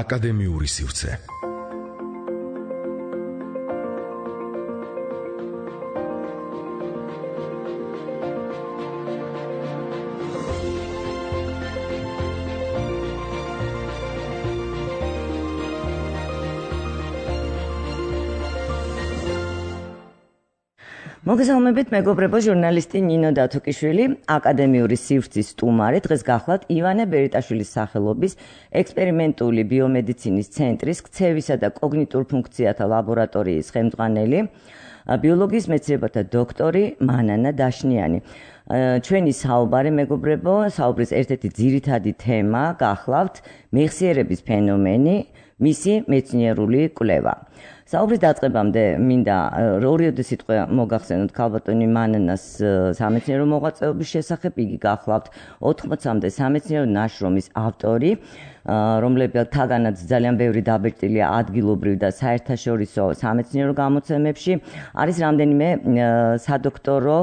აკადემიური სივრცე. მოგესალმებით, მეგობრებო, ჟურნალისტი ნინო დათუკიშვილი, აკადემიური სივრცის სტუმარი. დღეს გახლავთ ივანე ბერიტაშვილის სახელობის ექსპერიმენტული ბიომედიცინის ცენტრის ქცევისა და კოგნიტურ ფუნქციათა ლაბორატორიის ხელმძღვანელი, ბიოლოგიის მეცნიერებათა დოქტორი მანანა დაშნიანი. ჩვენი საუბარი, მეგობრებო, საუბრის ერთ-ერთი ძირითადი თემა გახლავთ მეხსიერების ფენომენი, მისი მეცნიერული კვლევა. საუბრის დაწყებამდე მინდა ორიოდე სიტყვა მოგახსენოთ ქალბატონი მანანას სამეცნიერო მოღვაწეობის შესახებ. იგი გახლავთ 80-მდე სამეცნიერო ნაშრომის ავტორი, რომლებთაგანაც ძალიან ბევრი დაბეჭდილია ადგილობრივ და საერთაშორისო სამეცნიერო გამოცემებში. არის რამდენიმე სადოქტორო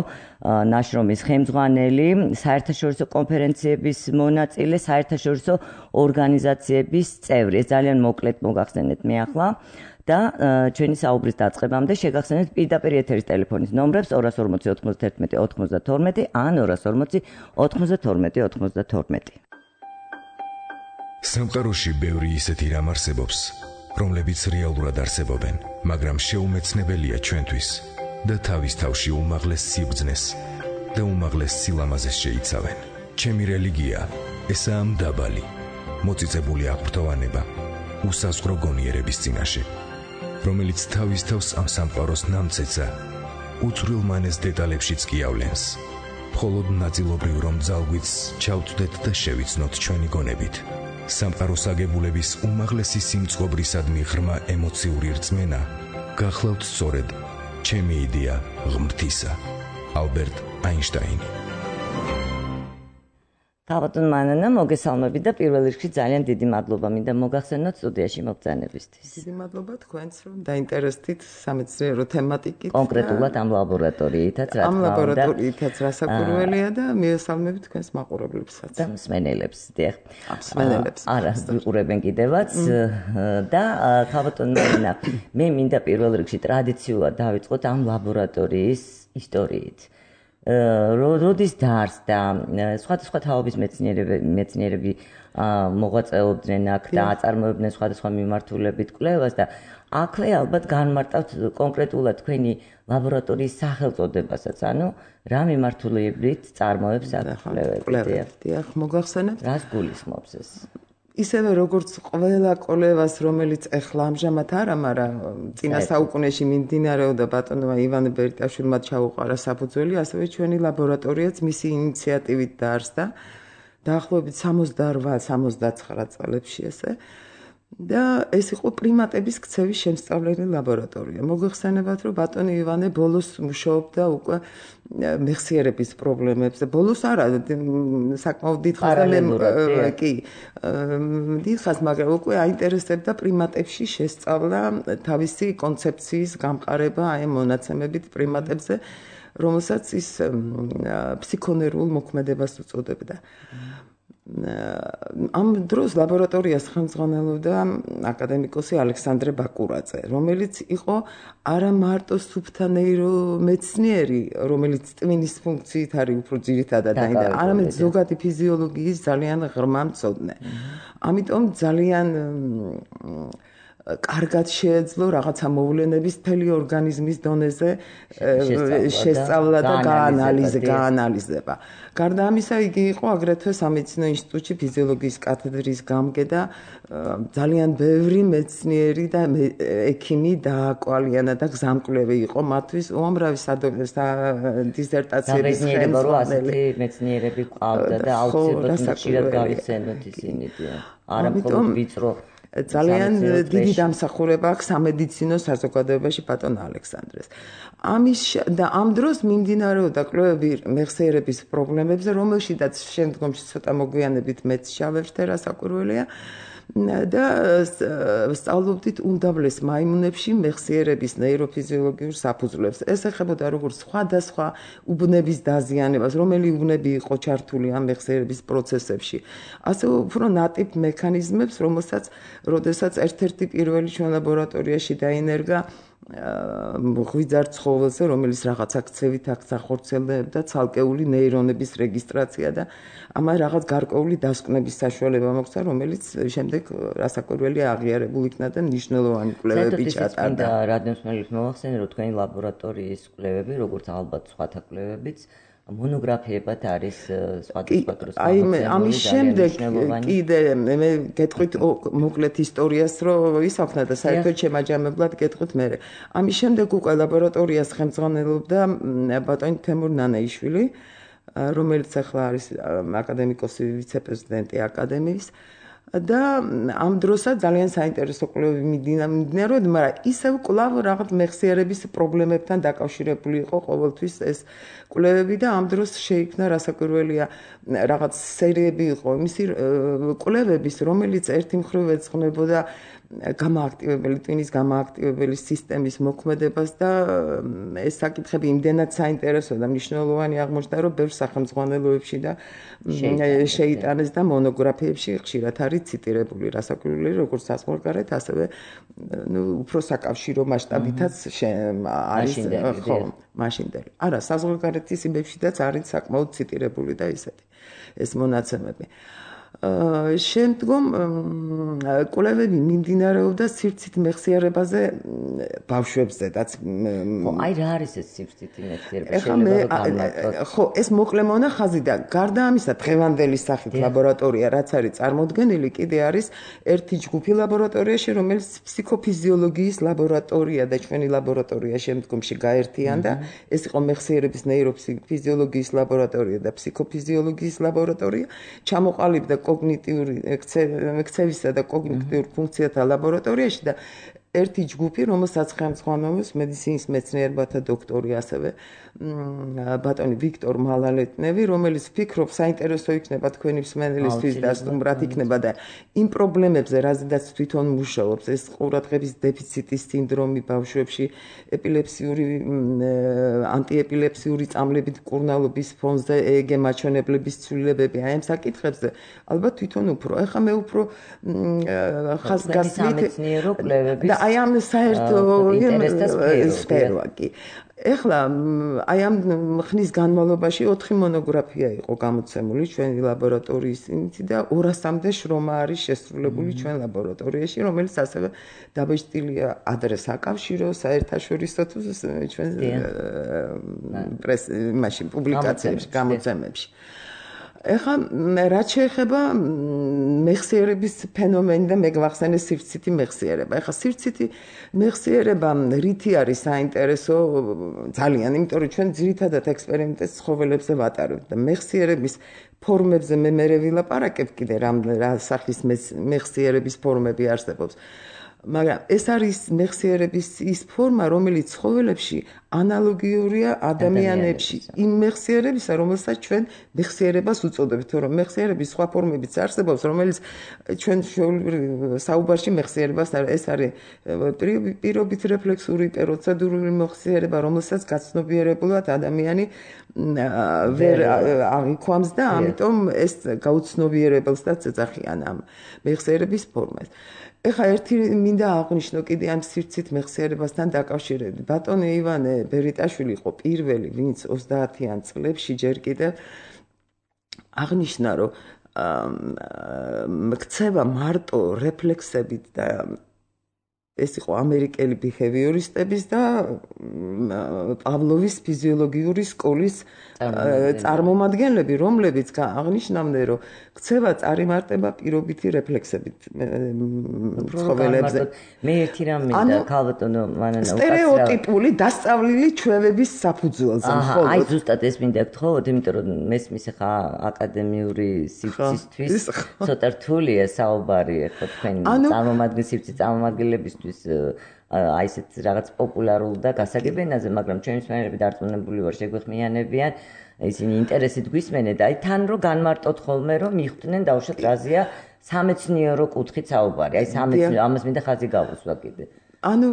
ნაშრომის ხელმძღვანელი, საერთაშორისო კონფერენციების მონაწილე, საერთაშორისო ორგანიზაციების წევრი. ეს ძალიან მოკლედ მოგახსენეთ მე ახლა. და ჩვენი საუბრის დაწყებამდე შეგახსენეთ პირდაპირ ეთერის ტელეფონის ნომრებს 240 91 92 ან 240 92 92. სამყაროში ბევრი ისეთი რამ არსებობს, რომლებიც რეალურად არსებობენ, მაგრამ შეუმეცნებელია ჩვენთვის და თავის თავში უმაღლეს სიბრძნეს და უმაღლეს სილამაზეს შეიცავენ. ჩემი რელიგია ესაა მდაბალი, მოწიწებული აღფრთოვანება, უსაზღვრო გონიერების წინაშე, რომელიც თავის თავს ამ სამყაროს ნამცეცა უცვლელმანეს დეტალებშიც კი ავლენს. მხოლოდ ნაწილობრივ რომ ძალგვიც ჩავწვდეთ და შევიცნოთ ჩვენი გონებით. სამყაროს აგებულების უმაღლესი სიმწყობრისადმი ღრმა ემოციური რწმენა გახლავთ სწორედ ჩემი იდეა ღმრთისა. ალბერტ აინშტაინი. ქალბატონ მანანა, მოგესალმებით და პირველ რიგში ძალიან დიდი მადლობა მინდა მოგახსენოთ სტუდიაში მობრძანებისთვის. დიდი მადლობა თქვენს, რომ დაინტერესდით სამეცნიერო თემატიკით. კონკრეტულად ამ ლაბორატორიითაც რა თქმა უნდა. ამ ლაბორატორიითაც რასაკვირველია და მიესალმებით თქვენს მაყურებლებსაც. და მსმენელებს, დიახ. მსმენელებს. არა, ვიყურებენ კიდევაც და ქალბატონ მანანა, მე მინდა პირველ რიგში ტრადიციულად დავიწყოთ ამ ლაბორატორიის ისტორიით. როდის დაარსდა, სხვადასხვა თაობის მეცნიერები მოღვაწეობდნენ აქ და აწარმოებდნენ სხვადასხვა მიმართულებით კვლევას და აქვე ალბათ განმარტავთ კონკრეტულად თქვენი ლაბორატორიის სახელწოდებასაც, ანუ რა მიმართულებით წარმოებს აქ კვლევები. დიახ, მოგახსენებთ? რას გულისხმობს ეს? ისევე როგორც ყველა კვლევას, რომელიც ეხლა ამჟამად არა, მაგრამ წინა საუკუნეში მიმდინარეობდა ბატონმა ივანე ბერიტაშვილმა ჩაუყარა საფუძველი, ასევე ჩვენი ლაბორატორიაც მისი ინიციატივით დაარსდა დაახლოებით 68-69 წლებში ესე. და ეს იყო პრიმატების ქცევის შემსწავლელი ლაბორატორია. მოგეხსენებათ, რომ ბატონი ივანე ბოლოს მუშაობდა უკვე მეხსიერების პრობლემებზე. ბოლოს არა, საკმაოდ დიდხანს და კი, დიდხანს, მაგრამ უკვე აინტერესებდა პრიმატებში შესწავლა, თავისი კონცეფციის გამყარება აი მონაცემებით პრიმატებზე, რომელსაც ის ფსიქონერულ მოქმედებას უწოდებდა. ამ დროს ლაბორატორიას ხელმძღვანელობდა აკადემიკოსი ალექსანდრე ბაკურაძე, რომელიც იყო არა მარტო სუფთანეირომეცნიერი, რომელიც ტვინის ფუნქციით არის უფრო ძირითადად დაინტერესებული, არამედ ზოგადი ფიზიოლოგიის ძალიან ღრმა მცოდნე. ამიტომ ძალიან კარგად შეეძლო რაღაცა მოვლენების მთელი ორგანიზმის დონეზე შესწავლა და გაანალიზება. გარდა ამისა, იგი იყო აგრეთვე სამედიცინო ინსტიტუტში ფიზიოლოგიის კათედრის გამგე და ძალიან ბევრი მეცნიერი და ექიმი დააკვალიანა და გზამკვლევი იყო მათთვის უამრავი დისერტაციების ხელმძღვანელი მეცნიერები ყავდა და აუცილებლად ხშირად გავიხსენოთ ისინი. არა მხოლოდ ვიწრო ძალიან დიდი დამსახურება აქვს სამედიცინო საზოგადოებაში ბატონ ალექსანდრეს. და ამ დროს მიმდინარეობდა კვლევები მეხსიერების პრობლემებზე, რომელშიც შემდგომში ცოტა მოგვიანებით მეც შავებშე რასაკვირველია. და სწავლობდით უმდაბლეს მაიმუნებში მეხსიერების ნეიროფიზიოლოგიურ საფუძვლებს. ეს ეხებოდა როგორც სხვადასხვა უბნების დაზიანებას, რომელი უბნები იყო ჩართული ამ მეხსიერების პროცესებში. ასე უფრო ნატიფ მექანიზმებს, როდესაც ერთ-ერთი პირველი ჩვენ ლაბორატორიაში დაინერგა ღვიძარ ცხოველზე, რომელიც რაღაც აქცევით ახორციელებდა ცალკეული ნეირონების რეგისტრაცია და ამან რაღაც გარკვეული დასკვნების საშუალება მოგვცა, რომელიც შემდეგ რასაკვირველია აღიარებულ იქნა და მნიშვნელოვანი კვლევები ჩატარდა. რადნოსმელებს მოახსენე, რომ თქვენი ლაბორატორიის კვლევები, როგორც ალბათ სხვათა კვლევებიც, მონოგრაფიებად არის სხვადასხვა დროს გამოცემული. ამის შემდეგ კიდე მე გეტყვით მოკლედ ისტორიას, რომ ისახნა და საერთოდ შემაჯამებლად გეტყვით მე. ამის შემდეგ უკვე ლაბორატორიას ხელმძღვანელობდა ბატონი თემურ ნანაიშვილი, რომელიც ახლა არის აკადემიკოსი ვიცე-პრეზიდენტი აკადემიის. და ამ დროსაც ძალიან საინტერესო კვლევები მიმდინარეობდა, მაგრამ ისევ კვლავ რაღაც მეხსიერების პრობლემებთან დაკავშირებული იყო ყოველთვის ეს კვლევები და ამ დროს შეიქმნა რასაკვირველია რაღაც სერიები იყო იმისი კვლევების, რომელიც ერთი მხრივ ეძღვნებოდა გამოაქტივებელი ტვინის გამოაქტივებელი სისტემის მოქმედებას და ეს საკითხები იმდენად საინტერესო და მნიშვნელოვანი აღმოჩნდა, რომ ბევრ სახელმძღვანელოებში და შეიტანეს და მონოგრაფიებში ხშირად არის ციტირებული რასაკვირველია, როგორც საზღვარგარეთ, ასევე უფრო საკავშირო მასშტაბითაც არის ხო, მაშინდელი. არა, საზღვარგარეთის იმებშიც არის საკმაოდ ციტირებული და ისეთი ეს მონაცემები. შემდგომ კვლევები მიმდინარეობდა სივრცით მეხსიერებაზე ბავშვებზედაც. აი რა არის ეს სივრცითი მეხსიერება? ხო, ეს მოკლე მონახაზი და გარდა ამისა დღევანდელი სახით ლაბორატორია, რაც არის წარმოდგენილი, კიდე არის ერთი ჯგუფი ლაბორატორიაში, რომელიც ფსიქოფიზიოლოგიის ლაბორატორია და ჩვენი ლაბორატორია შემდგომში გაერთიანდა. ეს იყო მეხსიერების ნეიროფიზიოლოგიის ლაბორატორია და ფსიქოფიზიოლოგიის ლაბორატორია. ჩამოყალიბდა კოგნიტიური ექცევისა და კოგნიტიურ ფუნქციათა ლაბორატორიაში და ერთი ჯგუფი, რომელსაც ხელმძღვანელობს მედიცინის მეცნიერებათა დოქტორი, ასევე ბატონი ვიქტორ მალალეტნევი, რომელიც ფიქრობს, საინტერესო იქნება თქვენი მსმენელისთვის და სტუმრად იქნება და იმ პრობლემებზე, რაზედაც თვითონ მუშაობს, ეს ყურადღების დეფიციტის სინდრომი ბავშვებში, ეპილეფსიური ანტიეპილეფსიური წამლებით მკურნალობის ფონზე EEG მაჩვენებლების ცვლილებები, აი ამ საკითხებზე ალბათ თვითონ უფრო. ეხლა მე უფრო ხაზგასმით და აი ამ საერთო სფეროა კი. ეხლა აი ამ ხნის განმავლობაში 4 მონოგრაფია იყო გამოცემული ჩვენი ლაბორატორიის და 200-მდე შრომა არის შესრულებული ჩვენ ლაბორატორიაში, რომელიც ასევე დაბეჭდილია ადრე საკავშირო, საერთაშორისო თუ ჩვენ პრესაში, პუბლიკაციებში, გამოცემებში. ეხლა რაც შეეხება მეხსიერების ფენომენი და მე გვახსენე სივრცითი მეხსიერება. ეხლა სივრცითი მეხსიერება რითი არის საინტერესო ძალიან, იმიტომ რომ ჩვენ ძირითადად ექსპერიმენტებს ცხოველებზე ვატარებთ და მეხსიერების ფორმებზე მე ვილაპარაკებ კიდე რა სახის მეხსიერების ფორმები არსებობს. მაგრამ ეს არის მეხსიერების ის ფორმა, რომელიც ცხოველებში ანალოგიურია ადამიანებში იმ მეხსიერებისა, რომელსაც ჩვენ მეხსიერებას უწოდებთ, რომ მეხსიერების სხვა ფორმებიც არსებობს, რომელიც ჩვენ საუბარში მეხსიერებას ეს არის პირობით რეფლექსური პროცედურული მეხსიერება, რომელსაც გაცნობიერებულად ადამიანი ვერ აღიქვამს და ამიტომ ეს გაუცნობიერებელსაც ეძახიან ამ მეხსიერების ფორმას. ეხლა ერთი მინდა აღნიშნო კიდე ამ სივრცით მეხსიერებასთან დაკავშირებით. ბატონი ივანე ბერიტაშვილი იყო პირველი, ვინც 30-იან წლებში ჯერ კიდევ აღნიშნა, რომ ქცევა მარტო რეფლექსებით და ეს იყო ამერიკელი ბიჰევიორისტების და პავლოვის ფიზიოლოგიური სკოლის წარმომადგენლები, რომლებიც აღნიშნავდნენ, რომ ქცევა წარიმარტება პირობითი რეფლექსებით ცხოველებზე. მე ერთი რამ მინდა ქალბატონო მანანა სტერეოტიპული დასწავლილი ჩვევების საფუძველზე მხოლოდ. აი ზუსტად ეს მინდა გთხოვოთ, იმიტომ რომ მესმის ხა აკადემიური სივრცისთვის ცოტა რთულია საუბარი ხო თქვენ წარმომადგენლის სივრცის წარმომადგენლებისთვის აი ესეთ რაღაც პოპულარულ და გასაგებ ენაზე, მაგრამ ჩვენი მსმენელები დარწმუნებული ვარ შეგვეხმიანებიან, ისინი ინტერესით გვისმენენ და აი თან რო განმარტოთ ხოლმე რომ მიხვდნენ დაუშვათ რაზეა სამეცნიერო კუთხით საუბარი. აი სამეცნიერო ამას მინდა ხაზი გავუსვა კიდე. ანუ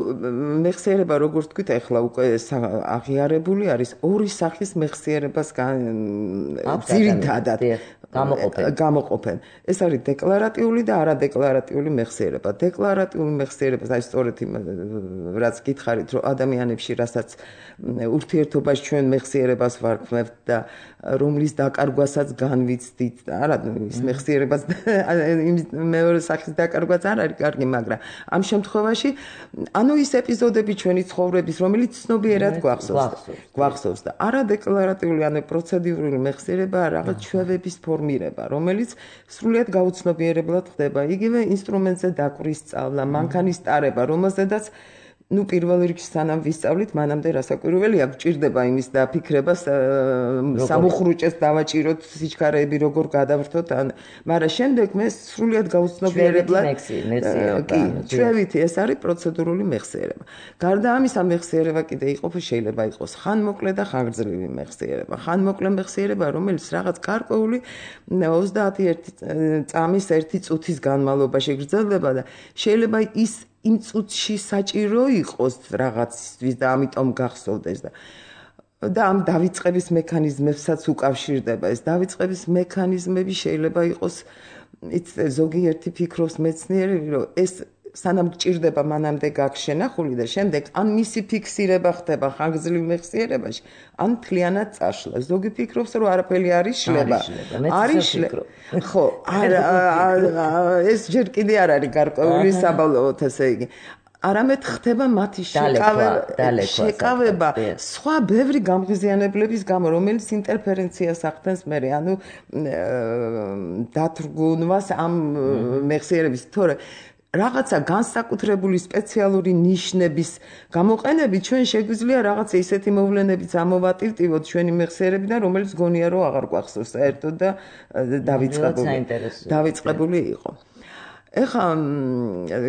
მეხსიერება როგორც თქვით ახლა უკვე აღიარებული არის ორი სახის მეხსიერებას ძირითადად გამოყოფენ. ეს არის დეკლარატიული და არადეკლარატიული მეხსიერება. დეკლარატიული მეხსიერება, აი სწორედ იმ რაც გითხარით, რომ ადამიანებში რასაც ურთიერთობაში ჩვენ მეხსიერებას ვარქმევთ და რომლის დაკარგვასაც განვიცდით, არა ის მეხსიერებას მეორე სახის დაკარგვაც არ არის კარგი, მაგრამ ამ შემთხვევაში ანუ ის ეპიზოდები ჩვენი ცხოვრების, რომელიც ცნობიერად გვახსოვს და არადეკლარატიული ანუ პროცედურული მეხსიერება რაღაც ჩვევების ფორმირება, რომელიც სრულიად გაუცნობიერებლად ხდება. იგივე ინსტრუმენტზე დაკვრის სწავლა, მანქანის ტარება, რომელზედაც პირველ რიგში სანამ ვისწავლით, მანამდე რასაკვირველია, გვჭირდება იმის დაფიქრება, სამუხრუჭეს დავაჭიროთ, სიჩქარეები როგორ გადავრთოთ, მაგრამ შემდეგ მე სრულიად გაუცნობიერებლად ჩვევითი ეს არის პროცედურული მეხსიერება. გარდა ამისა, მეხსიერება კიდე შეიძლება იყოს ხანმოკლე და ხანგრძლივი მეხსიერება. ხანმოკლე მეხსიერება, რომელიც რაღაც გარკვეული 21 წამის 1 წუთის განმავლობაში გრძელდება და შეიძლება ის იმ წუთში საჭირო იყოს რაღაცისთვის და ამიტომ გახსოვდეს და ამ დავიწყების მექანიზმებსაც უკავშირდება. ეს დავიწყების მექანიზმები შეიძლება იყოს ზოგიერთი ფიქრობს მეცნიერი, რომ ეს სანამ გჭირდება მანამდე გაქვს შენახული და შემდეგ ან მისი ფიქსირება ხდება ხანგრძლივ მეხსიერებაში, ან მთლიანად წაშლა. ზოგი ფიქრობს, რომ არაფერი არ იშლება. ხო, ეს ჯერ კიდე არ არის გარკვეული საბოლოოდ, ესე იგი. არამედ ხდება მათი შეკავება სხვა ბევრი გამღიზიანებლების გამო, რომელიც ინტერფერენციას ახდენს მერე, ანუ დათრგუნვას ამ მეხსიერების, თორე რაღაცა განსაკუთრებული სპეციალური ნიშნების გამოყენებით ჩვენ შეგვიძლია რაღაცა ისეთი მოვლენებიც ამოვატირტივოთ ჩვენი მეხსიერებიდან, რომელიც გონია რომ აღარ გვახსოვს საერთოდ და დავიწყებული იყო. ეხლა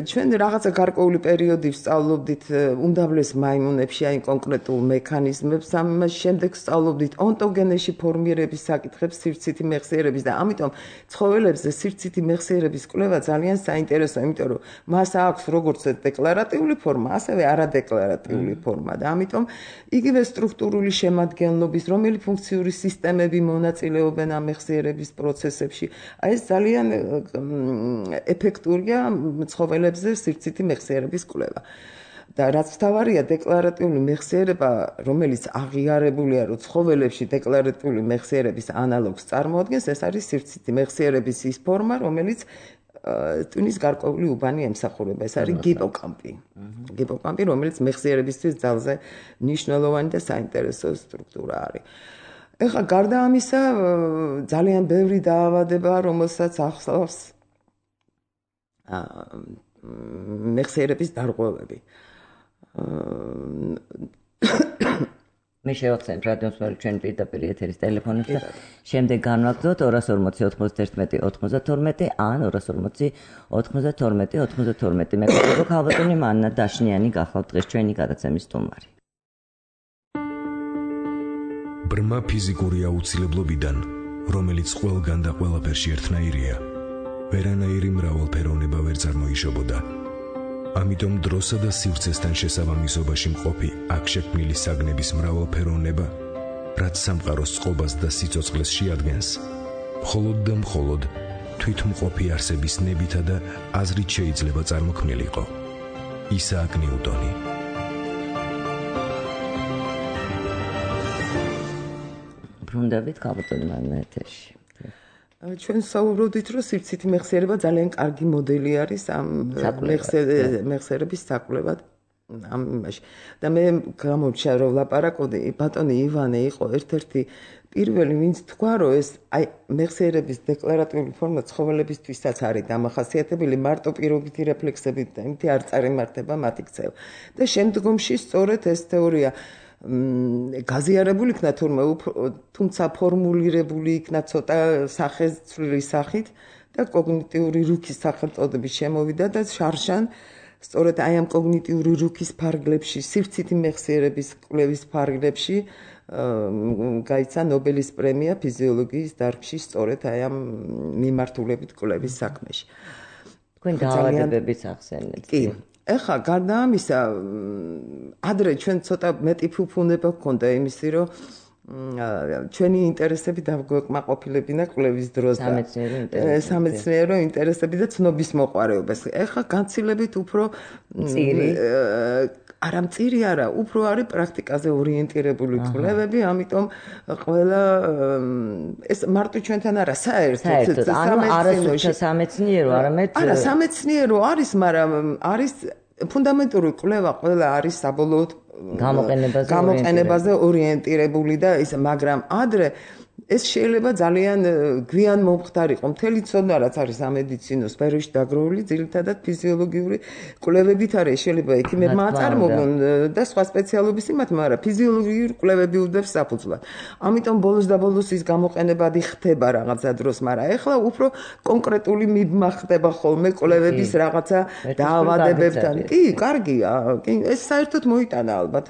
ჩვენ რაღაცა გარკვეული პერიოდი ვსწავლობდით უმდაბლეს მაიმუნებში აი კონკრეტულ მექანიზმებს, ამას შემდეგ ვსწავლობდით ონტოგენეში ფორმირების საკითხებს სირცითი მეხსიერების და ამიტომ ცხოველებზე სირცითი მეხსიერების კვლევა ძალიან საინტერესოა, იმიტომ რომ მას აქვს როგორც დეკლარატიული ფორმა, ასევე არადეკლარატიული ფორმა და ამიტომ იგივე სტრუქტურული შემადგენლობის, რომელი ფუნქციური სისტემები მონაწილეობენ ამ მეხსიერების პროცესებში, აი ეს ძალიან ეფექტურია ცხოველებზე სირცითი მეხსიერების კვლევა. და რაც თავარია დეკლარატიული მეხსიერება, რომელიც აღიარებულია, რომ ცხოველებში დეკლარატიული მეხსიერების ანალოგს წარმოადგენს, ეს არის სირცითი მეხსიერების ის ფორმა, რომელიც ტვინის გარკვეული უბანი ემსახურება. ეს არის ჰიპოკამპი. ჰიპოკამპი, რომელიც მეხსიერებისთვის ძალზე მნიშვნელოვანი და საინტერესო სტრუქტურა არის. ეხლა გარდა ამისა, ძალიან ბევრი დაავადება, რომელსაც ახსოვს მეხსიერების დარღვევები. მე შევახსენებ რადიოსმენელს ჩვენ პირდაპირ ეთერის ტელეფონებს და შემდეგ განვაგრძოთ 240 91 92 ან 240 92 92. მე გქონდო ქალბატონი მანნა დაშნიანი გახლავთ დღეს ჩვენი გადაცემის სტუმარი. ბრმა ფიზიკური აუცილებლობიდან, რომელიც ყველგან და ყველაფერში ერთნაირია, ვერანაირი მრავალფეროვნება ვერ წარმოიშობოდა. ამიტომ დროსა და სივრცესთან შესაბამისობაში მყოფი აქ შექმნილი საგნების მრავალფეროვნება, რაც სამყაროს წყობას და სიცოცხლეს შეადგენს, მხოლოდ და მხოლოდ თვითმყოფი არსების ნებითა და აზრით შეიძლება წარმოქმნილიყო. ისააკ ნიუტონი. ბრუნდებით ქალბატონი მანნა ეთერში. ჩვენ საუბრობდით, რომ სირცითი მეხსიერება ძალიან კარგი მოდელი არის ამ მეხსიერების საკვლევად ამ იმაში. და მე გამორჩა რომ ვლაპარაკობდი, ბატონი ივანე იყო ერთ-ერთი პირველი, ვინც თქვა, რომ ეს აი მეხსიერების დეკლარატიული ფორმა ცხოველებისთვისაც არის დამახასიათებელი, მარტო პირობითი რეფლექსებით და იმითი არ წარიმართება მათი ქცევა. და შემდგომში სწორედ ეს თეორია გაზიარებული იქნა თუმცა ფორმულირებული იქნა ცოტა სახეცვლილი სახით და კოგნიტიური რუქის სახელწოდებით შემოვიდა და შარშან სწორედ აი ამ კოგნიტიური რუქის ფარგლებში, სივრცითი მეხსიერების კვლევის ფარგლებში გაიცა ნობელის პრემია ფიზიოლოგიის დარგში სწორედ აი ამ მიმართულებით კვლევის საქმეში. თქვენ დაავადებების ახსენეთ. კი. ეხლა გარდა ამისა, ადრე ჩვენ ცოტა მეტი ფუფუნება გქონდა იმისი, რომ ჩვენი ინტერესები დავგვეკმაყოფილებინა კვლევის დროს და სამეცნიერო ინტერესები და ცნობის მოყვარეობას. ეხლა განცილებით უფრო არა მწირი არა, უფრო არის პრაქტიკაზე ორიენტირებული კვლევები, ამიტომ ყველა ეს მარტო ჩვენთან არა, საერთოდ სამეცნიერო, არამედ არა, სამეცნიერო არის, მაგრამ არის ფუნდამენტური კვლევა, ყველა არის საბოლოოდ გამოყენებაზე ორიენტირებული და ის, მაგრამ ადრე ეს შეიძლება ძალიან გვიან მომხდარიყო. მთელი ცოდნა რაც არის სამედიცინო სფეროში დაგროვილი, ძირითადად ფიზიოლოგიური კვლევებით არის. შეიძლება ექიმებმა აწარმოონ და სხვა სპეციალობის იმათმა, მაგრამ ფიზიოლოგიური კვლევები უდევს საფუძვლად. ამიტომ ბოლოს და ბოლოს ის გამოყენებადი ხდება რაღაცა დროს, მაგრამ ეხლა უფრო კონკრეტული მიბმა ხდება ხოლმე კვლევების რაღაცა დაავადებებთან. კი, კარგია. ეს საერთოდ მოიტანა ალბათ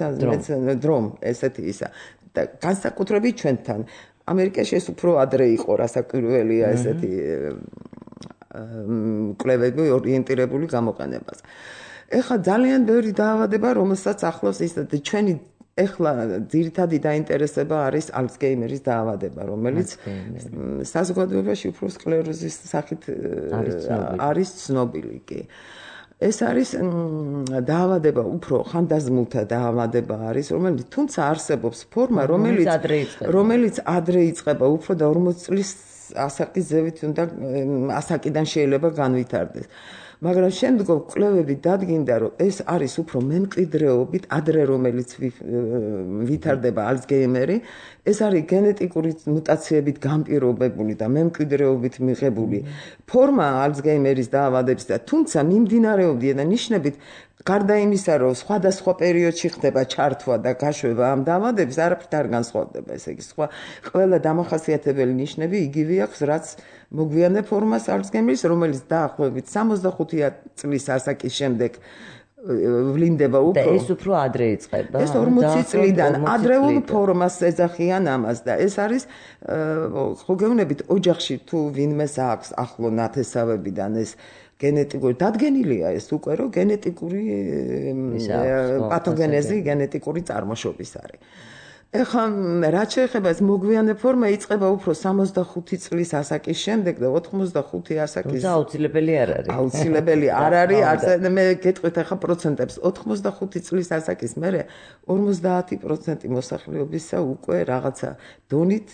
დრომ ესეთი ისა. და განსაკუთრებით ჩვენთან ამერიკაში ეს უფრო ადრე იყო, რასაკვირველია ესეთი კვლევები ორიენტირებული გამოყენებას. ეხლა ძალიან ბევრი დაავადება, რომელსაც ახლავს ის ჩვენი ეხლა ძირითადი დაინტერესება არის ალცგეიმერის დაავადება, რომელიც საზოგადოებაში უფრო სკლეროზის სახით არის ცნობილი კი. ეს არის დაავადება, უფრო ხანდაზმულთა დაავადება არის, რომელიც თუმცა არსებობს ფორმა, რომელიც ადრე იწყება, უფრო და 40 წლის ასაკის ზევით უნდა ასაკიდან შეიძლება განვითარდეს. მაგრამ შემდგომ კვლევები დადგინდა, რომ ეს არის უფრო მემკვიდრეობით ადრე რომელიც ვითარდება ალცგეიმერი, ეს არის გენეტიკური მუტაციებით განპირობებული და მემკვიდრეობით მიღებული ფორმა ალცგეიმერის დაავადების და თუმცა მიმდინარეობდია და ნიშნებით გარდა იმისა, რომ სხვადასხვა პერიოდში ხდება ჩართვა და გაშვება ამ დაავადების, არაფრით არ განსხვავდება, ესე იგი, სხვა ყველა დამახასიათებელი ნიშნები იგივე აქვს, რაც მოგვიანე ფორმას ალცგეიმერის, რომელიც დაახლოებით 65 წლის ასაკის შემდეგ ვლინდება უფრო. და ეს უფრო ადრე იწყება. ეს 40 წლიდან ადრეულ ფორმას ეძახიან ამას და ეს არის ხოგევნებით ოჯახში თუ ვინმეს აქვს ახლო ნათესავებიდან ეს გენეტიკური დადგენილია ეს უკვე რომ გენეტიკური პათოგენეზი გენეტიკური წარმოშობის არის. ეხლა რაც შეეხება ეს მოგვიანე ფორმა იწყება უფრო 65 წლის ასაკის შემდეგ და 85 ასაკის აუცილებელი არ არის. აუცილებელი არ არის, არც მე გეტყვით ახლა პროცენტებს 85 წლის ასაკის მერე 50% მოსახლეობისა უკვე რაღაცა დონით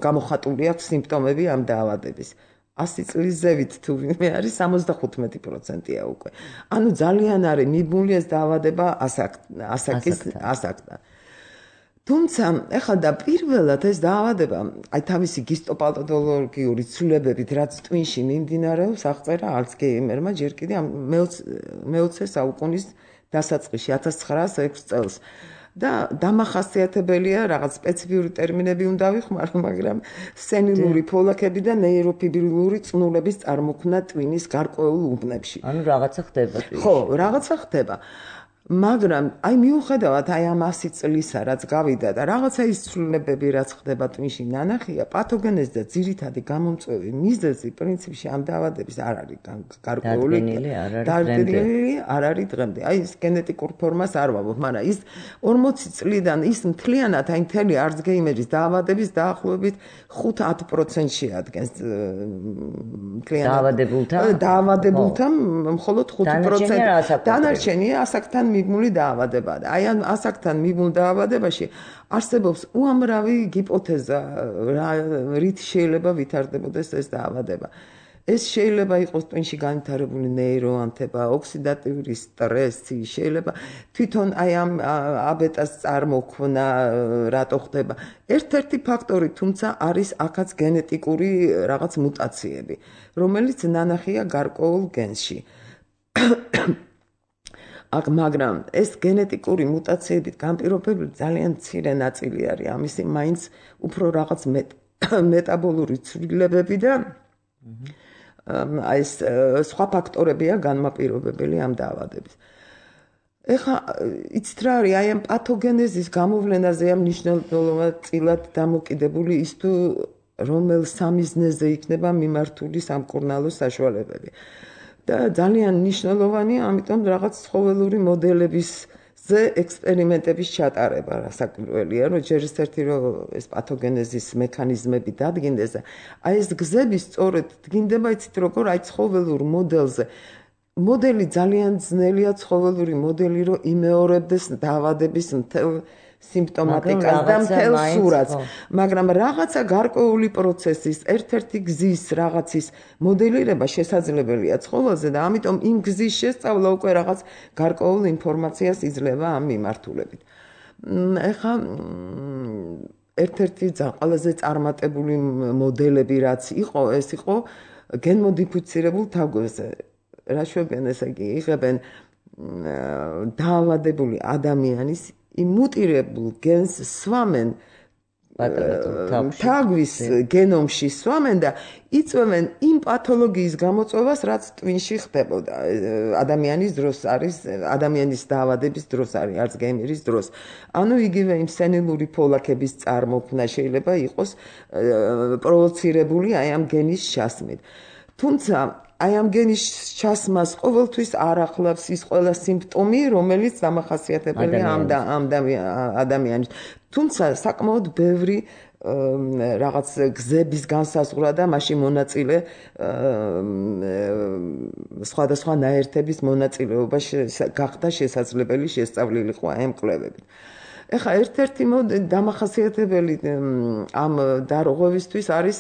გამოხატული აქვს სიმპტომები ამ დაავადების. 100 წლის ზევით თუ ვინმე არის 75%-ია უკვე. ანუ ძალიან არის მიბმული ეს დაავადება ასაკთან. თუმცა ეხლა და პირველად ეს დაავადება, აი თავისი ჰისტოპათოლოგიური ცვლილებებით, რაც ტვინში მიმდინარეობს, აღწერა ალცგეიმერმა ჯერ კიდე მე-20 საუკუნის დასაწყისში 1906 წელს. და დამახასიათებელია რაღაც სპეციფიური ტერმინები უნდა ვიხმარო, მაგრამ სენილური ფოლაქები და ნეიროფიბრილური წნულების წარმოქმნა ტვინის გარკვეულ უბნებში. ანუ რაღაცა ხდება. ხო, რაღაცა ხდება. მაგრამ აი მიუხედავად აი ამ 100 წლისა რაც გავიდა და რაღაცა ის ცვლილებები რაც ხდება ტვინში ნანახია, პათოგენეზი და ძირითადი გამომწვევი მიზეზი პრინციპში ამ დაავადების არ არის გარკვეული. დადგენილი არ არის დღემდე. აი ეს გენეტიკურ ფორმას არ ვამბობ, მაგრამ ის 40 წლიდან ის მთლიანად აი მთელი ალცგეიმერის დაავადების დაახლოებით 5-10% შეადგენს მთლიანად დაავადებულთა მხოლოდ 5%. დანარჩენია ასაკთან მიბმული დაავადება. აი ამ ასაკთან მიბმულ დაავადებაში არსებობს უამრავი ჰიპოთეზა, რით შეიძლება ვითარდებოდეს ეს დაავადება. ეს შეიძლება იყოს ტვინში განვითარებული ნეიროანთება, ოქსიდატიური სტრესი, შეიძლება თვითონ აი ამ აბეტას წარმოქმნა რატო ხდება. ერთ-ერთი ფაქტორი თუმცა არის აქაც გენეტიკური რაღაც მუტაციები, რომელიც ნანახია გარკვეულ გენში. მაგრამ ეს გენეტიკური მუტაციებით განპირობებული ძალიან მცირე ნაწილი არის ამისი, მაინც უფრო რაღაც მეტაბოლური ცვლილებები და აი ეს სხვა ფაქტორებია განმაპირობებელი ამ დაავადების. ეხლა იცით რა არის, აი ამ პათოგენეზის გამოვლენაზე ამ მნიშვნელოვნად დამოკიდებული ის თუ რომელ სამიზნეზე იქნება მიმართული სამკურნალო საშუალებები. და ძალიან მნიშვნელოვანია, ამიტომ რაღაც ცხოველური მოდელებისზე ექსპერიმენტების ჩატარება საკურველია, რომ ჯერ ერთი რომ ეს პათოგენეზის მექანიზმები დადგინდეს და აი ეს გზები სწორედ დგინდება, იცით როგორ აი ცხოველურ მოდელზე მოდელი ძალიან ძნელია ცხოველური მოდელი რომ იმეორებდეს დაავადების მთელ სიმპტომატიკას და მთელ სურათს, მაგრამ რაღაცა გარკვეული პროცესის, ერთ-ერთი გზის რაღაცის მოდელირება შესაძლებელია ცხოველზე და ამიტომ იმ გზის შესწავლა უკვე რაღაც გარკვეულ ინფორმაციას იძლევა ამ მიმართულებით. ეხლა ერთ-ერთი ყველაზე წარმატებული მოდელები რაც იყო, ეს იყო გენმოდიფიცირებულ თაგვებზე. რა შვებიან, ესე იგი, იღებენ დაავადებული ადამიანის იმუტირებულ გენს სვამენ თაგვის გენომში სვამენ და იწვევენ იმ პათოლოგიის გამოწვევას, რაც ტვინში ხდებოდა ადამიანის დროს არის, ადამიანის დაავადების დროს არის, ალცგეიმერის დროს. ანუ იგივე იმ სენილური ფოლაქების წარმოქმნა შეიძლება იყოს პროვოცირებული აი ამ გენის ჩასმით. თუმცა აი ამ გენის ჩასმას ყოველთვის არ ახლავს ის ყველა სიმპტომი, რომელიც დამახასიათებელია ამ ადამიანის. თუმცა საკმაოდ ბევრი რაღაც გზების განსაზღვრა და მაშინ მონაწილე სხვადასხვა ნაერთების მონაწილეობა გახდა შესაძლებელი შესწავლილიყო აი ამ კვლევებით. ეხლა ერთ-ერთი დამახასიათებელი ამ დარღვევისთვის არის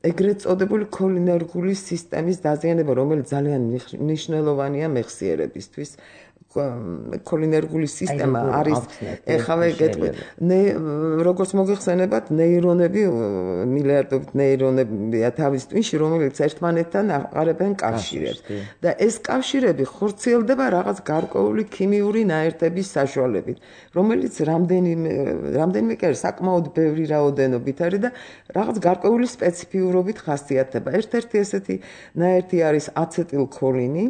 ეგრეთ წოდებული ქოლინერგული სისტემის დაზიანება, რომელიც ძალიან მნიშვნელოვანია მეხსიერებისთვის. ქოლინერგული სისტემა არის, ეხლა გეტყვით, როგორც მოგეხსენებათ, ნეირონები, მილიარდობით ნეირონებია თავის ტვინში, რომელიც ერთმანეთთან აყარებენ კავშირებს. და ეს კავშირები ხორციელდება რაღაც გარკვეული ქიმიური ნაერთების საშუალებით, რომელიც რამდენიმე კი საკმაოდ ბევრი რაოდენობით არის და რაღაც გარკვეული სპეციფიურობით ხასიათდება. ერთ-ერთი ესეთი ნაერთი არის აცეტილქოლინი,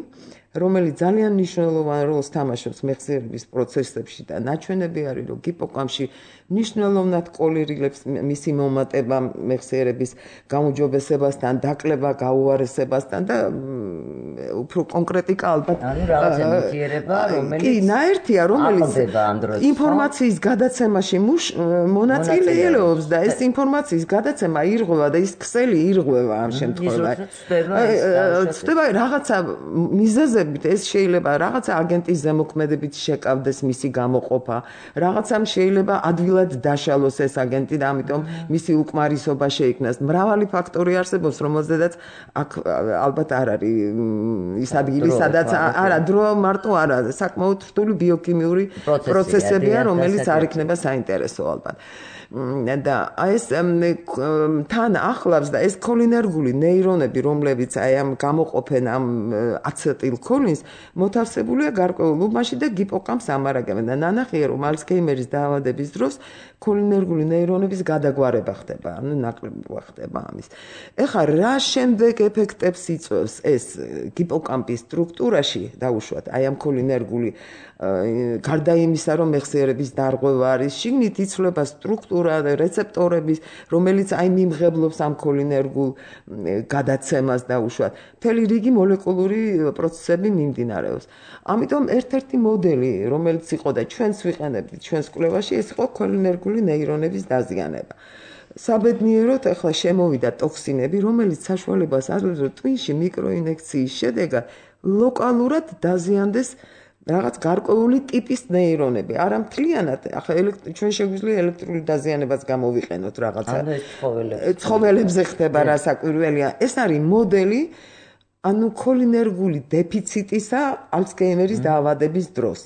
რომელიც ძალიან მნიშვნელოვან როლს თამაშობს მეხსიერების პროცესებში და ნაჩვენები არის, რომ ჰიპოკამპში მნიშვნელოვნად კოლირილებს მისი მომატება მეხსიერების გაუმჯობესებასთან, დაკლება გაუარესებასთან და უფრო კონკრეტიკა ალბათ რაღაცა ნივთიერება, რომელიც კი, ნაერთია, რომელიც ინფორმაციის გადაცემაში მონაწილეობს და ეს ინფორმაციის გადაცემა ირღვევა და ის ქსელი ირღვევა ამ შემთხვევაში. ცდება რაღაცა მიზეზებით, ეს შეიძლება რაღაცა აგენტის ზემოქმედებით შეკავდეს მისი გამოყოფა, რაღაცამ შეიძლება ადვილად დაშალოს ეს აგენტი და ამიტომ მისი უკმარისობა შეიქმნას. მრავალი ფაქტორი არსებობს, რომელზედაც აქ ალბათ არ არის ის ადგილი, სადაც არა დრო მარტო არა, საკმაოდ რთული ბიოქიმიური პროცესებია, რომელიც არ იქნება საინტერესო ალბათ. და ეს თან ახლავს და ეს ქოლინერგული ნეირონები, რომლებიც აი ამ გამოყოფენ ამ აცეტილქოლინს, მოთავსებულია გარკვეულ უბანში და ჰიპოკამპს ამარაგებენ და ნანახია, რომ ალცგეიმერის დაავადების დროს ქოლინერგული ნეირონების გადაგვარება ხდება, ანუ ნაკლებობა ხდება ამის. ეხლა რა შემდეგ ეფექტებს იწვევს ეს ჰიპოკამპის სტრუქტურაში დაუშვათ აი ამ ქოლინერგული გარდა იმისა, რომ მეხსიერების დარღვევა არის, შიგნით იცვლება სტრუქტურა და რეცეპტორების, რომელიც აი მიმღებლობს ამ ქოლინერგულ გადაცემას დაუშვათ. მთელი რიგი მოლეკულური პროცესები მიმდინარეობს. ამიტომ ერთ-ერთი მოდელი, რომელიც იყო და ჩვენს ვიყენებთ ჩვენს კვლევაში, ეს იყო ქოლინერგული ნეირონების დაზიანება. საბედნიეროდ ახლა შემოვიდა ტოქსინები, რომელიც საშუალებას აძლევს, რომ ტვინში მიკროინექციის შედეგად ლოკალურად დაზიანდეს რაღაც გარკვეული ტიპის ნეირონები. არა მთლიანად, ახლა ჩვენ შეგვიძლია ელექტრული დაზიანებაც გამოვიყენოთ რაღაცა. ცხოველებზე ხდება რა საკვირველია. ეს არის მოდელი, ანუ ქოლინერგული დეფიციტისა ალცგეიმერის დაავადების დროს.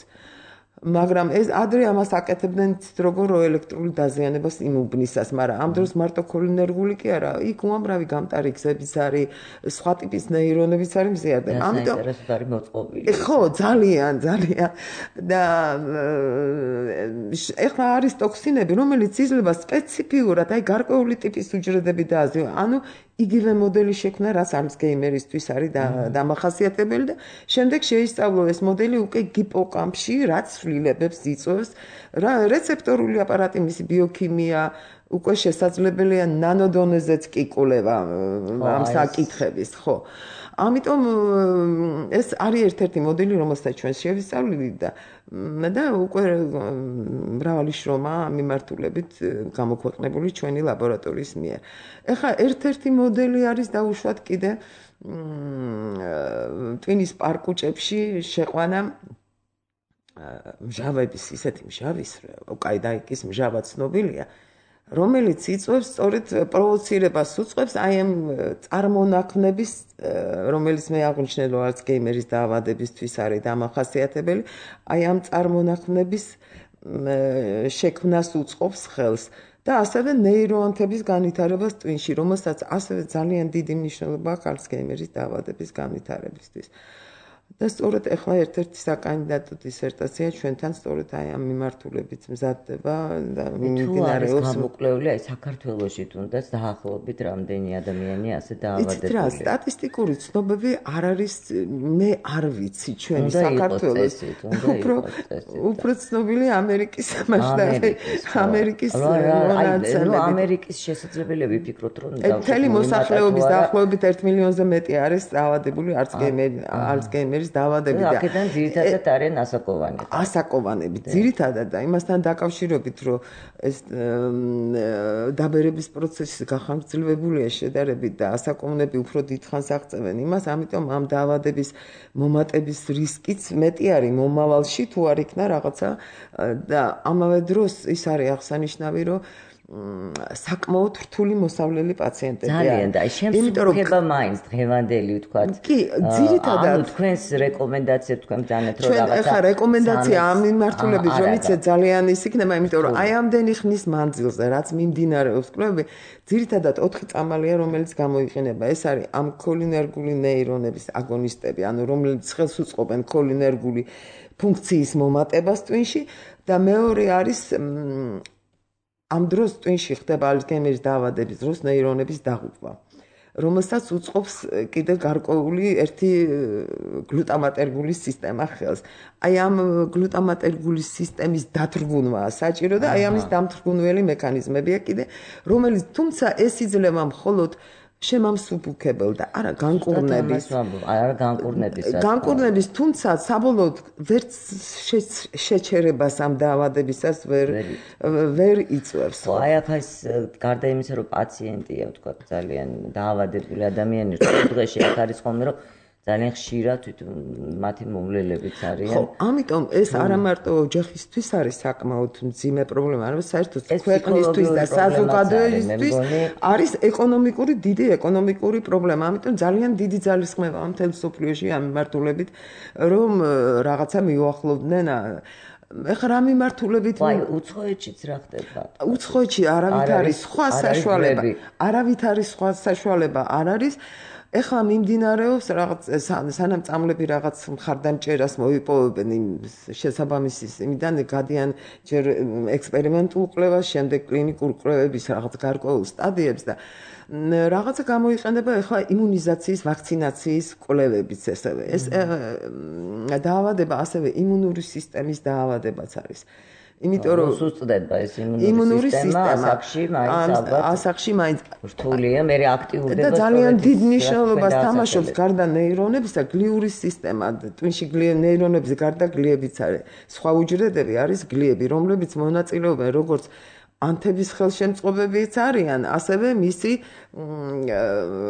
მაგრამ ეს ადრე ამას აკეთებდნენ როგორ ელექტრული დაზიანებას იმუბნისას, მაგრამ ამ დროს მარტო ქოლინერგული კი არა, იქ უამრავი გამტარი გზებიც არის, სხვა ტიპის ნეირონებიც არის მზიარდება. ამიტომ არის მოწყობილი. ხო, ძალიან და ეხლა არის ტოქსინები, რომელიც იძლევა სპეციფიურად აი გარკვეული ტიპის უჯრედები დააზიანოს. ანუ იგივე მოდელი შექმნა, რაც ალცგეიმერისთვის არის დამახასიათებელი და შემდეგ შეისწავლო ეს მოდელი უკვე ჰიპოკამპში, რაც ცვლილებებს იწვევს, რეცეპტორული აპარატი, მისი ბიოქიმია, უკვე შესაძლებელია ნანოდონეზეც კი კვლევა ამ საკითხების, ხო. ამიტომ ეს არის ერთ-ერთი მოდელი, რომელსაც ჩვენ შევისწავლით და უკვე მრავალი შრომა მიმართულებით გამოქვეყნებული ჩვენი ლაბორატორიის მიერ. ეხლა ერთ-ერთი მოდელი არის დაუშვათ კიდე ტვინის პარკუჭებში შეყვანა მჟავების, ისეთი მჟავის, ოკაიდაიკის მჟავა ცნობილია, რომელიც იწვევს სწორედ პროვოცირებას უწყობს აი ამ წარმონაქმნების, რომელიც მე აღვნიშნე, რომ ალცგეიმერის დაავადებისთვის არის დამახასიათებელი, აი ამ წარმონაქმნების შექმნას უწყობს ხელს და ასევე ნეიროანთების განვითარებას ტვინში, რომელსაც ასევე ძალიან დიდი მნიშვნელობა აქვს ალცგეიმერის დაავადების განვითარებისთვის. და სწორედ ახლა ერთ-ერთი საკანდიდატო დისერტაცია ჩვენთან სწორედ აი ამ მიმართულებით მზადდება და მიმდინარეობს გამოკვლეული აი საქართველოში თუნდაც დაახლოებით რამდენი ადამიანი ასე დაავადებულია. იცით რა, სტატისტიკური ცნობები არ არის, მე არ ვიცი ჩვენი საქართველოს. უფრო ცნობილი ამერიკის მასშტაბით, ამერიკის მონაცემებით. ამერიკის შესაძლებელია ვფიქროთ, რომ მთელი მოსახლეობის დაახლოებით 1 მილიონზე მეტი არის დაავადებული ალცგეიმერის დაავადებით და აქედან ძირითადად არიან ასაკოვანები. ასაკოვანები ძირითადად და იმასთან დაკავშირებით, რომ ეს დაბერების პროცესი გახანგრძლივებულია შედარებით და ასაკოვანები უფრო დიდხანს აღწევენ იმას, ამიტომ ამ დაავადების მომატების რისკიც მეტი არის მომავალში თუ არ იქნა რაღაცა და ამავე დროს ის არის აღსანიშნავი, რომ საკმაოდ რთული მოსავლელი პაციენტები არის. ძალიან და შემსუქება მაინც დღევანდელი ვთქვათ. კი, ძირითადად ანუ თქვენს რეკომენდაციებს თქვენ ბძანეთ რომ რაღაცა. ჩვენ ახლა რეკომენდაცია ამ მიმართულებით რომ იცი ძალიან ის იქნება, იმიტომ რომ აი ამდენი ხნის მანძილზე რაც მიმდინარეობს კვლევები, ძირითადად 4 წამალია, რომელიც გამოიყენება. ეს არის ამ ქოლინერგული ნეირონების აგონისტები, ანუ რომლებიც ხელს უწყობენ ქოლინერგული ფუნქციის მომატებას ტვინში და მეორე არის ამ დროს ტვინში ხდება ალცგეიმერის დაავადების დროს ნეირონების დაღუპვა, რომელსაც უწყობს კიდე გარკვეული ერთი გლუტამატერგულის სისტემა ხელს. აი ამ გლუტამატერგულის სისტემის დათრგუნვაა საჭირო და აი ამის დამთრგუნველი მექანიზმებია კიდე, რომელიც თუმცა ეს იძლევა მხოლოდ შემამსუბუქებელ და არა განკურნების, თუმცა საბოლოოდ ვერც შეჩერებას ამ დაავადებისას ვერ იწვევს. აი ახლა ეს გარდა იმისა, რომ პაციენტია, ვთქვა, ძალიან დაავადებული ადამიანი, დღეში აქ არის ხოლმე, რომ ძალიან ხშირად მათი მომლელებიც არიან. ხო, ამიტომ ეს არა მარტო ოჯახისთვის არის საკმაოდ მძიმე პრობლემა, არამედ საერთოდ ქვეყნისთვის და საზოგადოებისთვის არის დიდი ეკონომიკური პრობლემა. ამიტომ ძალიან დიდი ძალისხმევა მთელ მსოფლიოში ამ მიმართულებით, რომ რაღაცა მიუახლოვდნენ ეხლა რა მიმართულებით უცხოეთშიც რა ხდება? უცხოეთში არავით არის სხვა საშუალება არ არის. ეხლა მიმდინარეობს რაღაც სანამ წამლები რაღაც მხარდამჭერას მოიპოვებენ იმ შესაბამისი იმიდან გადიან ჯერ ექსპერიმენტულ კვლევას, შემდეგ კლინიკურ კვლევების რაღაც გარკვეულ სტადიებს და რაღაცა გამოიყენება ეხლა იმუნიზაციის, ვაქცინაციის კვლევებიც ესევე. ეს დაავადება ასევე იმუნური სისტემის დაავადებაც არის. იმიტომ რომ უსწრდება ეს იმუნური სისტემა ასაკში მაინც რთულია, მე აქტიურდება და ძალიან დიდ მნიშვნელობას თამაშობს გარდა ნეირონებისა გლიური სისტემა. ტვინში ნეირონების გარდა გლიებიც არის. სხვა უჯრედები არის გლიები, რომლებიც მონაწილეობენ როგორც ანთების ხელშემწყობებიც არიან, ასევე მისი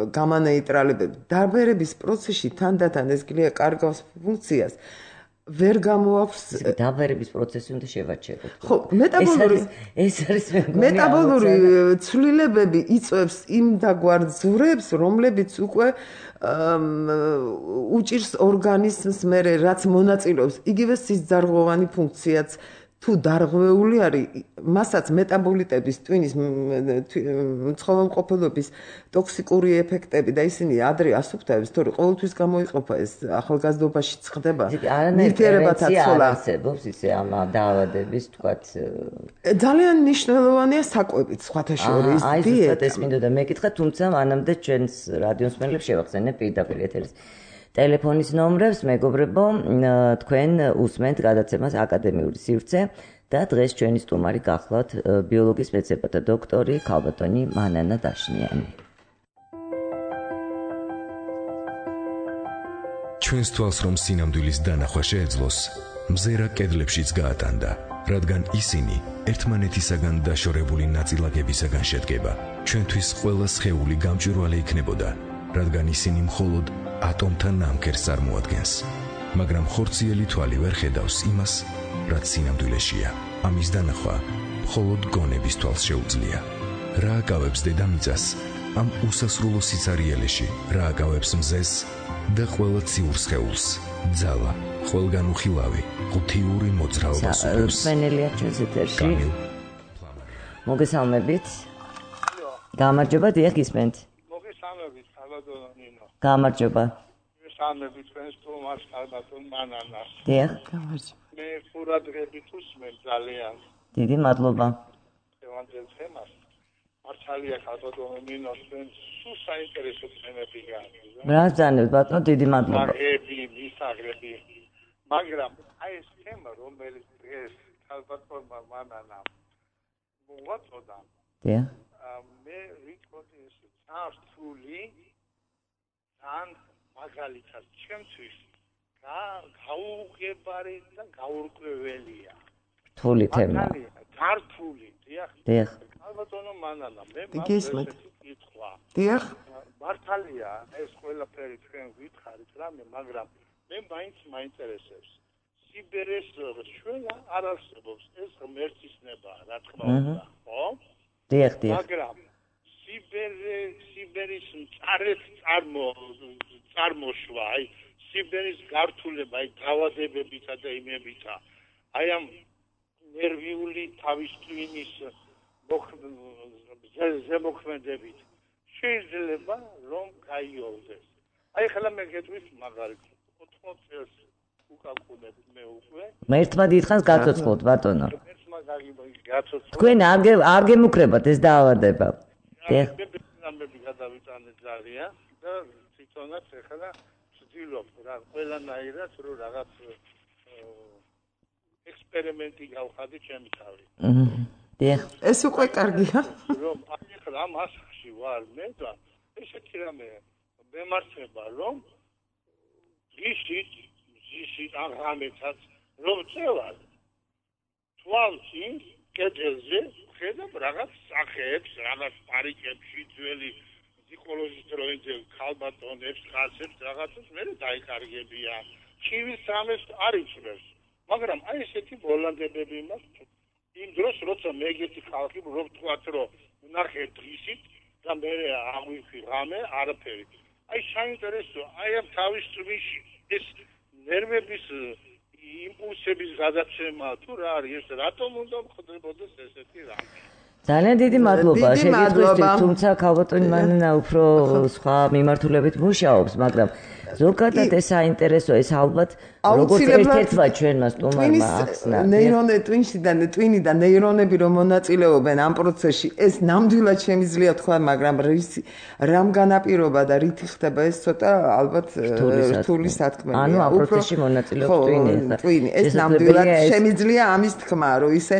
გამანეიტრალებები. დაბერების პროცესში თანდათან ეს გლია კარგავს ფუნქციას. ვერ გამოაქვს დაბერების პროცესი უნდა შევაჩეროთ. ხო, მეტაბოლური ცვლილებები იწვევს იმ დაგვარ ძვრებს, რომლებიც უკვე უჭირს ორგანიზმს მერე რაც მონაწილეობს იგივე სისძარღვოვანი ფუნქციაც თუ დარღვეული არის, მასაც მეტაბოლიტების ტვინის ცხოველმყოფელობის ტოქსიკური ეფექტები და ისინი ადრე ასუფთავებს, თორე ყოველთვის გამოიყოფა ეს ახალგაზრდობაში ხდება. ნივთიერებათა ცოლა არსებობს ისე ამ დაავადების თქვათ. ძალიან მნიშვნელოვანია საკვებიც სხვათა შორის. აი ზუსტად ეს მინდოდა მეკითხა, თუმცა მანამდე ჩვენს რადიოსმენლებს შევახსენებ პირდაპირ ეთერის ტელეფონის ნომრებს, მეგობრებო, თქვენ უსმენთ გადაცემას აკადემიური სივრცე და დღეს ჩვენი სტუმარი გახლავთ ბიოლოგიის მეცნიერებათა დოქტორი ქალბატონი მანანა დაშნიანი. ჩვენს თვალს რომ სინამდვილის დანახვა შეეძლოს, მზერა კედლებშიც გაატანდა, რადგან ისინი ერთმანეთისაგან დაშორებული ნაწილაკებისაგან შედგება. ჩვენთვის ყველა სხეული გამჭვირვალე იქნებოდა, რადგან ისინი მხოლოდ ატომთა ნამქერს წარმოადგენს, მაგრამ ხორციელი თვალი ვერ ხედავს იმას, რაც სინამდვილეშია. ამის დანახვა მხოლოდ გონების თვალს შეუძლია. რა აკავებს დედამიწას ამ უსასრულო სიცარიელეში, რა აკავებს მზეს და ყველა ციურ სხეულს, ძალა, ყველგან უხილავი, ღუთიური მოძრაობა სუფევს. სვენელია ჩვენს ეთერში. მოგესალმებით. გამარჯობა, დიახ გისმენთ. მოგესალმებით, ქალბატონო ნინო. გამარჯობა. მოგესალმებით ჩვენს სტუმარს ქალბატონ მანანას. დიახ. გამარჯობა. მე ყურადღებით უსმენ ძალიან. დიდი მადლობა.ევანდელ თემას. მართალია ქალბატონო ნინო, ჩვენ სულ საინტერესო თემები გააჩნია. რა ზანებთ ბატონო, დიდი მადლობა. მისაღები. მაგრამ აი ეს თემა, რომელიც დღეს ქალბატონმა მანანამ მოაწოდა. დიახ. მე ვიტყოდი ეს წარსული ან მაგალითად ჩემთვის გაუღებარი და გაურკვეველია. რთული თემა. ქართული, დიახ. დიახ. ქალბატონო მანანა, მე გისმენთ. კითხვა. დიახ. მართალია ეს ყველაფერი თქვენ გითხარით რამე, მაგრამ მე მაინც მაინტერესებს. სიბერეს შველა არ არსებობს, ეს ღმერთის ნებაა, რა თქმა უნდა, ხო? დიახ, დიახ. მაგრამ სიბერის წარმოშვა, აი სიბერის გართულება, აი დაავადებებითა და იმებითა, აი ამ ნერვიული თავის ტვინის ზემოქმედებით შეიძლება რომ გაიოლდეს. აი ხლა მე გეტყვის მაგალითად 80 წელს უკაკუნებ მე უკვე. მე ერთმა დიდხანს გაცოცხლოთ ბატონო. ერთმა გაცოცხლოთ. თქვენ არ გემუქრებათ ეს დაავადება. დიახ. მე გადავიტანე ძალიან და თვითონაც ეხლა ვცდილობ რა ყველანაირად რომ რაღაც ექსპერიმენტი გავხადე ჩემი თავი. დიახ. ეს უკვე კარგია. რომ აი ხლა მასში ვარ მე და ესეთი რამე მემარცხება რომ ისიც აღამეთაც რომ წევარ თვალში კედელზე ხედავ რაღაც სახეებს, რაღაც პარიკებში ძველი ზიკოლოჟის დროინდელ ქალბატონებს, ხალხებს რაღაცას მე დაიკარგებია. ჩივის სამეს არ იწვევს. მაგრამ აი ესეთი ბოლანდებები მაქვს. იმ დროს როცა მე ეგეთი ხალხი რომ ვთქვათ რომ ნახე დღისით და მე აღვიქვი რამე არაფერი. აი საინტერესო, აი ამ თავის წვიში ეს ნერვების იმპულსების გადაცემა თუ რა არის ეს რატომ უნდა ხდებოდეს ესეთი რამე? ძალიან დიდი მადლობა შეკითხვისთვის, თუმცა ქალბატონი მანანა უფრო სხვა მიმართულებით მუშაობს, მაგრამ ზოგადად ეს საინტერესო, ეს ალბათ როგორც ერთ-ერთმა ჩვენმა სტუმარმა ახსნა. ტვინი და ნეირონები რომ მონაწილეობენ ამ პროცესში, ეს ნამდვილად შემიძლია თქვა, მაგრამ რამ განაპირობა და რითი ხდება ეს ცოტა ალბათ რთული სათქმელია. ანუ ამ პროცესში მონაწილეობს ტვინი. ეს ნამდვილად შემიძლია ამის თქმა, რომ ისე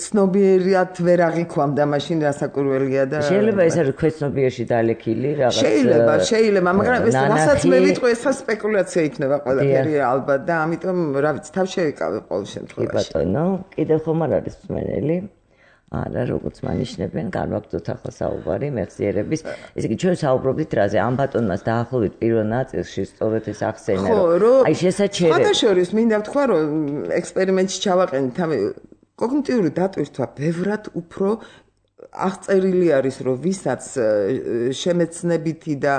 ცნობიერად ვერ აღიქვამდა მაშინ რასაკვირველია და შეიძლება ეს არის ქვეცნობიერში დალექილი რაღაც. შეიძლება, მაგრამ ეს რასაც მე ვიტყვი, ეს სპეკულაცია იქნება ყველაფერი ალბათ და ამიტომ რა ვიცი, თავ შევიკავე ყოველ შემთხვევაში. ბატონო, კიდევ ხომ არ არის მსმენელი? არა, როგორც მანიშნებენ, განვაგრძოთ ახლა საუბარი მეხსიერების. ესე იგი, ჩვენ საუბრობთ რაზე? ამ ბატონმას დაახლოებით პირველ ნაწილში სწორედ ეს ახსენა, რომ აი შესაჩერებ. სხვადასხვა მინდა ვთქვა, რომ ექსპერიმენტში ჩავაყენით ამ კოგნიტიური დატვირთვა ბევრად უფრო აღწერილი არის, რომ ვისაც შემეცნებითი და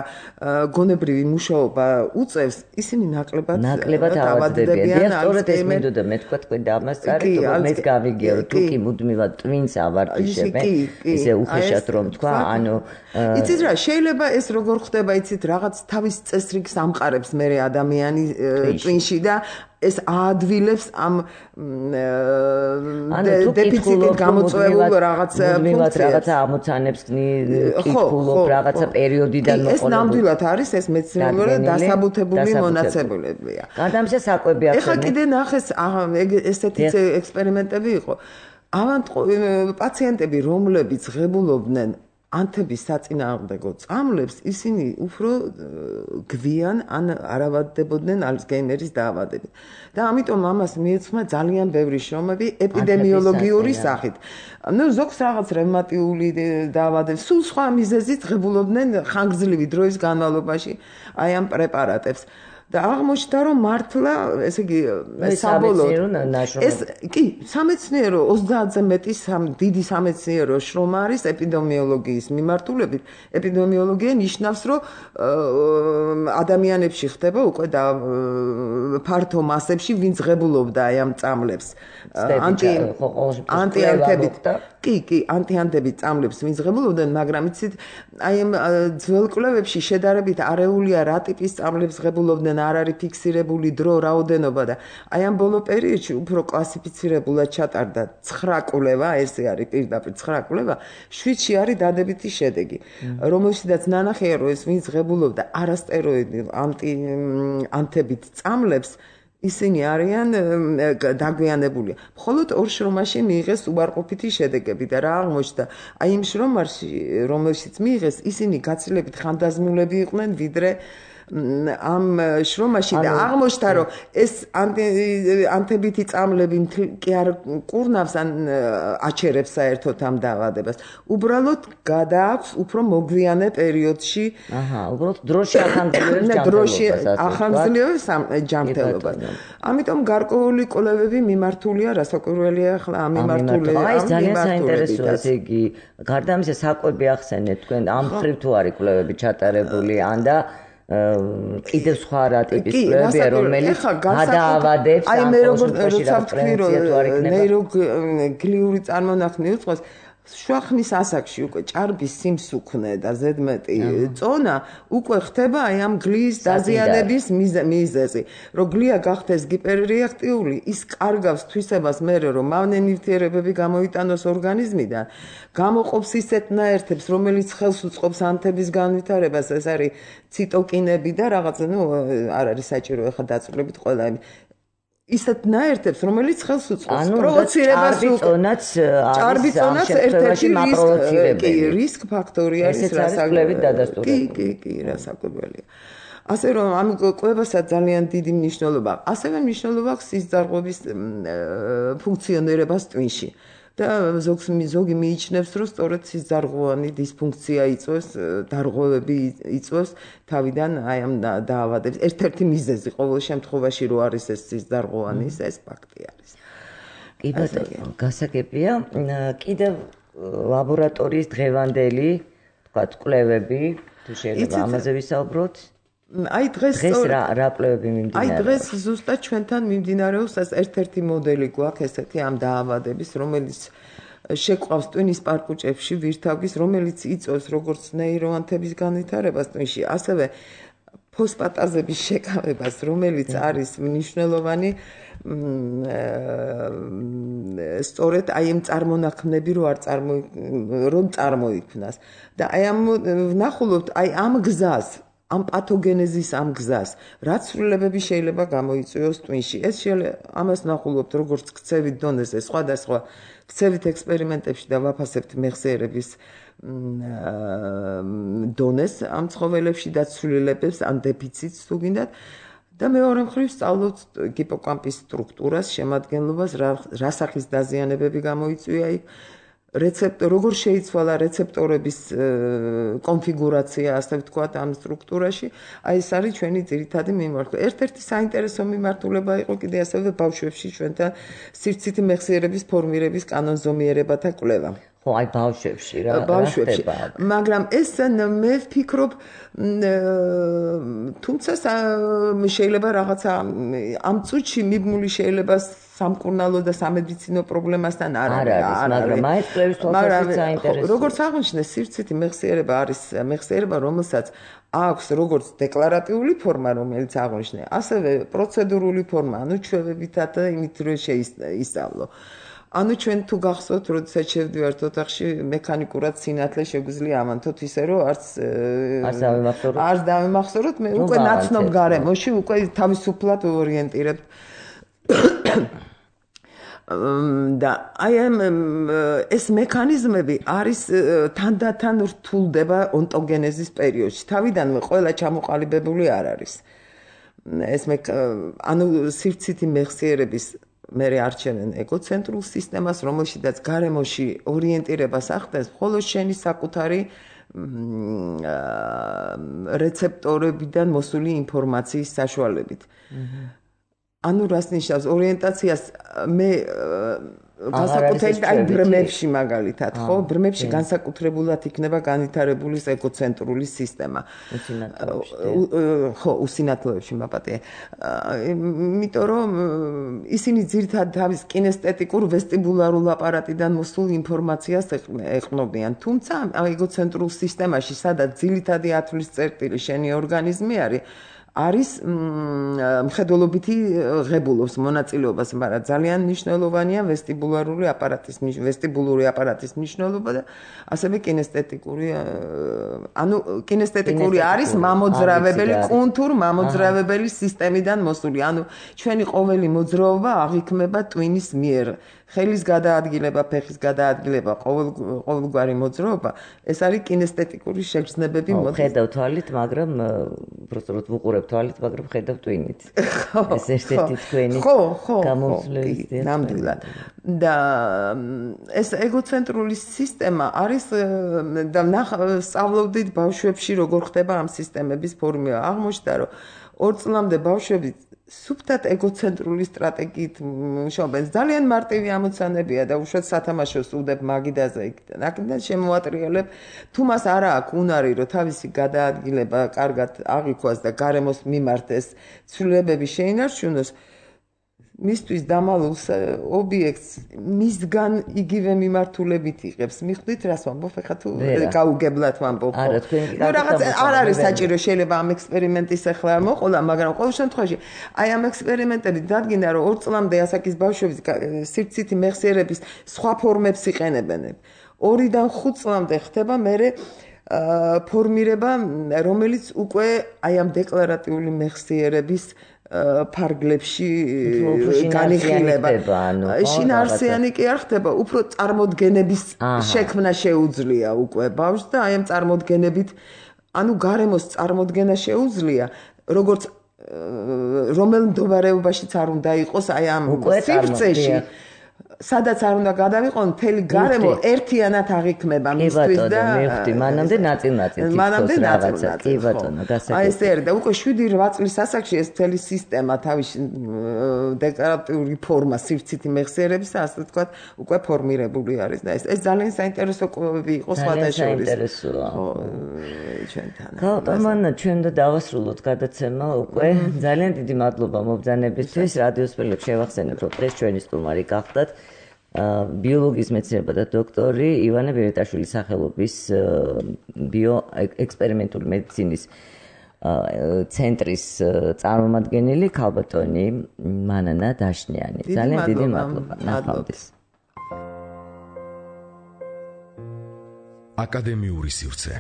გონებრივი მუშაობა უწევს, ისინი ნაკლებად ავადდებიან. სწორედ ეს მინდოდა მე თქვა თქვენ დამასწარეთ, რომ მეც გავიგია, რომ თუკი მუდმივად ტვინს ავარჯიშებენ, ისე უხეშად რომ თქვა, ანუ იცით რა, შეიძლება ეს როგორ ხდება, იცით, რაღაც თავის წესრიგს ამყარებს მე ადამიანი ტვინში და ეს აადვილებს ამ დეფიციტით გამოწვეულ რაღაც ფუნქციას. რაღაცა ამოცანებს კითხულობ, რაღაცა პერიოდიდან მოყოლებული. ეს ნამდვილად არის, ეს მეცნიერულად დასაბუთებული მონაცემებია. გადამშა საკვები ახსენე. ეხლა კიდე ნახეს, ესეთი ექსპერიმენტები იყო. პაციენტები, რომლებიც ღებულობდნენ ანთების საწინააღმდეგო წამლებს, ისინი უფრო გვიან ან არ ავადდებოდნენ ალცგეიმერის დაავადებით. და ამიტომ ამას მიეძღვნა ძალიან ბევრი შრომები ეპიდემიოლოგიური სახით. ზოგს რაღაც რევმატიული დაავადების, სულ სხვა მიზეზით ღებულობდნენ ხანგრძლივი დროის განმავლობაში აი ამ პრეპარატებს. და აღმოჩნდა, რომ მართლა, ესე იგი, საბოლოოდ ეს კი, სამეცნიერო 30-ზე მეტი დიდი სამეცნიერო შრომა არის ეპიდემიოლოგიის მიმართულებით. ეპიდემიოლოგია ნიშნავს, რომ ადამიანებში ხდება უკვე და ფართო მასებში, ვინც ღებულობდა აი ამ წამლებს. ანტიანთებით. კი, ანტიანთებით წამლებს ვინც ღებულობდნენ, მაგრამ იცით, აი ამ ძველ კვლევებში შედარებით არეულია რა ტიპის წამლებს ღებულობდნენ, არ არის ფიქსირებული დრო, რაოდენობა და აი ამ ბოლო პერიოდში უფრო კლასიფიცირებულად ჩატარდა 9 კვლევა, ესე არის პირდაპირ 9 კვლევა, 7-ში არის დადებითი შედეგი, რომელშიც ნანახია, რომ ეს ვინც ღებულობდა არასტეროიდულ ანტებით წამლებს, ისინი არიან დაგვიანებული. მხოლოდ 2 შრომაში მიიღეს უარყოფითი შედეგები და რა აღმოჩნდა? აი იმ შრომაში, რომელშიც მიიღეს, ისინი გაცილებით ხანდაზმულები იყვნენ, ვიდრე ამ შრომაში და აღმოჩნდა, რომ ეს ანთებითი წამლები კი არ კურნავს ან აჩერებს საერთოდ ამ დაავადებას. უბრალოდ გადააქვს უფრო მოგვიანე პერიოდში. უბრალოდ დროში ახანგრძლივებს ჯანმრთელობას. ამიტომ გარკვეული კვლევები მიმართულია, რასაკვირველია ახლა ამ მიმართულებით. აი ეს ძალიან საინტერესოა, ესე იგი, გარდა ამისა საკვები ახსენეთ თქვენ, ამ მხრივ თუ არის კვლევები ჩატარებული, ან და კიდევ სხვა რა ტიპის კვლევებია, რომელიც გადაავადებს აი მე როგორ ვთქვი, რომ ნეიროგლიური წარმონაქმნი უწყოს შუახნის ასაკში უკვე ჭარბის სიმსუქნე და ზედმეტი წონა უკვე ხდება აი ამ გლიის დაზიანების მიზეზი. რომ გლია გახდეს გიპერრეაქტიული, ის კარგავს თვისებას მერე, რომ მავნე ნივთიერებები გამოიტანოს ორგანიზმიდან, გამოყოფს ისეთ ნაერთებს, რომელიც ხელს უწყობს ანთების განვითარებას, ეს არის ციტოკინები და რაღაც, არ არის საჭირო ახლა დაწვრილებით ყველა ისეთ ნაერთებს, რომელიც ხელს უწყობს პროვოცირებას, ჭარბი წონაც ერთ-ერთი რისკ ფაქტორი არის, კი, რასაკვირველია. ასე რომ ამ კვლევასაც ძალიან დიდი მნიშვნელობა აქვს. ასევე მნიშვნელობა აქვს სისხლძარღვების ფუნქციონირებას ტვინში. და ზოგი მიიჩნევს, რომ სწორედ სისხლძარღვოვანი დისფუნქცია იწვევს, დარღვევები იწვევს თავიდან აი ამ დაავადებს. ერთ-ერთი მიზეზი ყოველ შემთხვევაში რო არის ეს სისხლძარღვოვანის ეს ფაქტი არის. კი ბატონო, გასაგებია. კიდევ ლაბორატორიის დღევანდელი, თქვათ, კვლევები, თუ შეიძლება ამაზე ვისაუბროთ. აი დღეს რა კვლევები მიმდინარეობს? აი დღეს ზუსტად ჩვენთან მიმდინარეობს ერთ-ერთი მოდელი გვაქვს ესეთი ამ დაავადების, რომელიც შეკვავს ტვინის პარკუჭებში ვირთაგვის, რომელიც იწვევს როგორც ნეიროანთების განვითარებას ტვინში, ასევე ფოსფატაზების შეკავებას, რომელიც არის მნიშვნელოვანი სწორედ აი ამ წარმონაქმნები რომ წარმოიქმნას. და აი ამ ვნახულობთ აი ამ გზას ამ პათოგენეზის ამ გზას, რაც ცვლილებები შეიძლება გამოიწვიოს ტვინში. ეს ამას ნახულობთ როგორც ქცევით დონეზე, სხვადასხვა ქცევით ექსპერიმენტებში და ვაფასებთ მეხსიერების დონეს ამ ცხოველებში და ცვლილებებს, ან დეფიციტს თუ გინდათ. და მეორე მხრივ სწავლობთ ჰიპოკამპის სტრუქტურას, შემადგენლობას, რა სახის დაზიანებები გამოიწვია იქ. როგორ შეიცვალა რეცეპტორების კონფიგურაცია, ასე ვთქვათ, ამ სტრუქტურაში, აი ეს არის ჩვენი ძირითადი მიმართულება. ერთ-ერთი საინტერესო მიმართულება იყო კიდე ასევე ბავშვებში ჩვენთან სივრცითი მეხსიერების ფორმირების კანონზომიერებათა კვლევა. ხო, აი ბავშვებში რა ხდება. მაგრამ ეს მე ვფიქრობ, თუმცა შეიძლება რაღაცა ამ წუთში მიბმული შეიძლება სამკურნალო და სამედიცინო პრობლემასთან არ არის, მაგრამ აი კვლევის თვალსაზრისით საინტერესოა. როგორც აღნიშნე, სივრცითი მეხსიერება არის მეხსიერება, რომელსაც აქვს როგორც დეკლარატიული ფორმა, რომელიც აღნიშნე, ასევე პროცედურული ფორმა, ანუ ჩვევებითაც და იმით რომ შეისწავლო. ანუ ჩვენ თუ გახსოვთ, როდესაც შევდივართ ოთახში, მექანიკურად სინათლე შეგვიძლია ამანთოთ ისე, რომ არც დავემახსოვროთ, მე უკვე ნაცნობ გარემოში უკვე თავისუფლად ორიენტირებთ. და აი ეს მექანიზმები არის თანდათან რთულდება ონტოგენეზის პერიოდში. თავიდანვე ყველა ჩამოყალიბებული არ არის. ეს ანუ სივრცითი მეხსიერების მე არჩევენ ეგოცენტრულ სისტემას, რომელშიც გარემოში ორიენტირებას ახდენს მხოლოდ შენი საკუთარი რეცეპტორებიდან მოსული ინფორმაციის საშუალებით. ანუ რას ნიშნავს ორიენტაციას მე განსაკუთრებით აი ბრმებში მაგალითად ხო ბრმებში განსაკუთრებულად იქნება განვითარებული ეგოცენტრული სისტემა ხო უსინათლოებში მაპატია იმიტომ რომ ისინი ძირითადად თავის კინესტეტიკურ ვესტიბულარულ აპარატიდან მოსულ ინფორმაციას ეყნობიან თუმცა ეგოცენტრულ სისტემაში სადაც ძირითადი ათვლის წერტილი შენი ორგანიზმი არის მხედველობითი ღებულობს მონაწილეობას, მაგრამ ძალიან მნიშვნელოვანია ვესტიბულური აპარატის მნიშვნელობა და ასევე კინესტეტიკური ანუ კინესტეტიკური არის მამოძრავებელი კონტურ მამოძრავებელი სისტემიდან მოსული. ანუ ჩვენი ყოველი მოძრაობა აღიქმება ტვინის მიერ. ხელის გადაადგილება, ფეხის გადაადგილება, ყოველგვარი მოძრაობა, ეს არის კინესტეტიკური შეგრძნებები მოდის. ხედავ თვალით, მაგრამ უბრალოდ ვუყურებ თვალით, მაგრამ ხედავ ტვინით. ეს ერთ-ერთი თქვენი გამოსვლისია. ნამდვილად. და ეს ეგოცენტრული სისტემა არის და სწავლობდით ბავშვებში როგორ ხდება ამ სისტემების ფორმირება. აღმოჩნდა, რომ 2 წლამდე ბავშვები სუფთად ეგოცენტრული სტრატეგიით მუშაობენ. ძალიან მარტივი ამოცანებია და უშუალოდ სათამაშოს უდებ მაგიდაზე იქიდან. აქედან შემოატრიალებ, თუ მას არა აქვს უნარი, რომ თავისი გადაადგილება კარგად აღიქვას და გარემოს მიმართ ეს ცვლილებები შეინარჩუნოს, მისთვის დამალულს ობიექტს მისგან იგივე მიმართულებით იღებს. მიხვდით რას ვამბობ, ხა თუ გაუგებლად ვამბობ. ნუ რაღაც არ არის საჭირო, შეიძლება ამ ექსპერიმენტის ახლა არ მოყოლა, მაგრამ ყოველ შემთხვევაში აი ამ ექსპერიმენტებით დადგინდა, რომ 2 წლამდე ასაკის ბავშვების სივრცითი მეხსიერების სხვა ფორმებს იყენებენ. 2-დან 5 წლამდე ხდება მერე ფორმირება, რომელიც უკვე აი ამ დეკლარატიული მეხსიერების ფარგლებში განიხილება. შინაარსიანი კი არ ხდება, უფრო წარმოდგენების შექმნა შეუძლია უკვე ბავშვს და აი ამ წარმოდგენებით, ანუ გარემოს წარმოდგენა შეუძლია, როგორც რომელ მდგომარეობაშიც არ უნდა იყოს აი ამ სივრცეში. სადაც არ უნდა გადავიყო, მთელი გარემო ერთიანად აღიქმება მისთვის და მივხვდი, მანამდე ნაწილ-ნაწილ თითქოს რაღაცა. კი ბატონო, გასაგებია. აი ესე არის და უკვე 7-8 წლის ასაკში ეს მთელი სისტემა თავისი დეკლარატიული ფორმა სივრცითი მეხსიერების ასე ვთქვათ, უკვე ფორმირებული არის და ეს ძალიან საინტერესო კვლევები იყო სხვათა შორის. საინტერესოა. ხო, ჩვენთან. ხო, თამანა ჩვენ და დავასრულოთ გადაცემა უკვე. ძალიან დიდი მადლობა მობრძანებისთვის. რადიოს სპილებს შევახსენებ, რომ დღეს ჩვენი სტუმარი გახდათ ბიოლოგიის მეცნიერებათა დოქტორი ივანე ბერიტაშვილის სახელობის ბიოექსპერიმენტული მედიცინის ცენტრის წარმომადგენელი ქალბატონი მანანა დაშნიანი. ძალიან დიდი მადლობა. ნახვამდის. აკადემიური სივრცე.